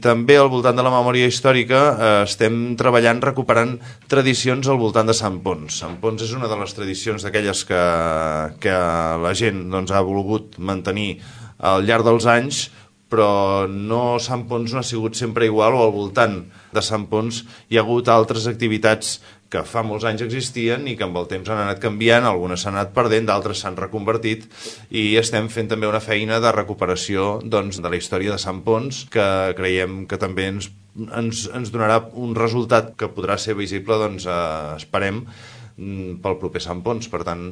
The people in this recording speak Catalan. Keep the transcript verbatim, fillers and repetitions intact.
També al voltant de la memòria històrica eh, estem treballant recuperant tradicions al voltant de Sant Ponç. Sant Ponç és una de les tradicions d'aquelles que, que la gent doncs, ha volgut mantenir al llarg dels anys, però no, Sant Ponç no ha sigut sempre igual, o al voltant de Sant Ponç hi ha hagut altres activitats que fa molts anys existien i que amb el temps han anat canviant, algunes s'han anat perdent, d'altres s'han reconvertit, i estem fent també una feina de recuperació doncs, de la història de Sant Ponç, que creiem que també ens, ens, ens donarà un resultat que podrà ser visible, doncs, eh, esperem, pel proper Sant Ponç. Per tant,